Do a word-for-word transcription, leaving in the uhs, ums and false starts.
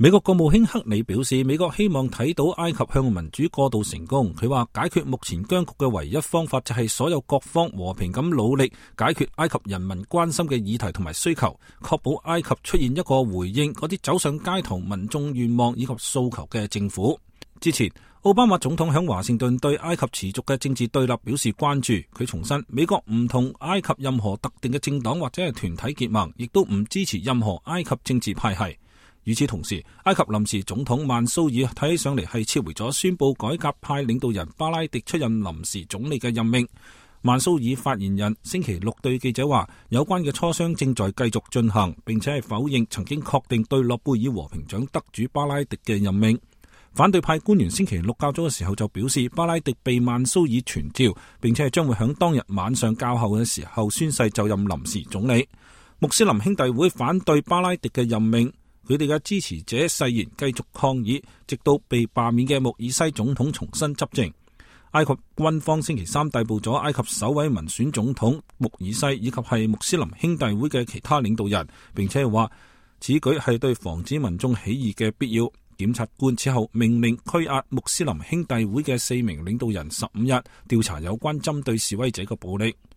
美國國務卿克里表示，美國希望睇到埃及向民主過渡成功。佢話解決目前僵局嘅唯一方法就係所有各方和平咁努力解決埃及人民關心嘅議題同埋需求，確保埃及出現一個回應嗰啲走上街頭民眾願望以及訴求嘅政府。之前奧巴馬總統響華盛頓對埃及持續嘅政治對立表示關注。佢重申美國唔同埃及任何特定嘅政黨或者係團體結盟，亦都唔支持任何埃及政治派系。與此同時，埃及臨時總統曼蘇爾睇起上嚟係撤回咗宣布改革派領導人巴拉迪出任臨時總理嘅任命。曼蘇爾發言人星期六對記者話，有關嘅磋商正在繼續進行，並且係否認曾經確定對諾貝爾和平獎得主巴拉迪嘅任命。反對派官員星期六較早嘅時候就表示，巴拉迪被曼蘇爾傳召，並且係將會響當日晚上較後嘅時候宣誓就任臨時總理。穆斯林兄弟會反對巴拉迪嘅任命。佢哋嘅支持者誓言繼續抗議，直到被罷免嘅穆爾西總統重新執政。埃及軍方星期三逮捕咗埃及首位民選總統穆爾西以及係穆斯林兄弟會嘅其他領導人，並且話此舉係對防止民眾起義嘅必要。檢察官此後命令拘押穆斯林兄弟會嘅四名領導人十五日，調查有關針對示威者嘅暴力。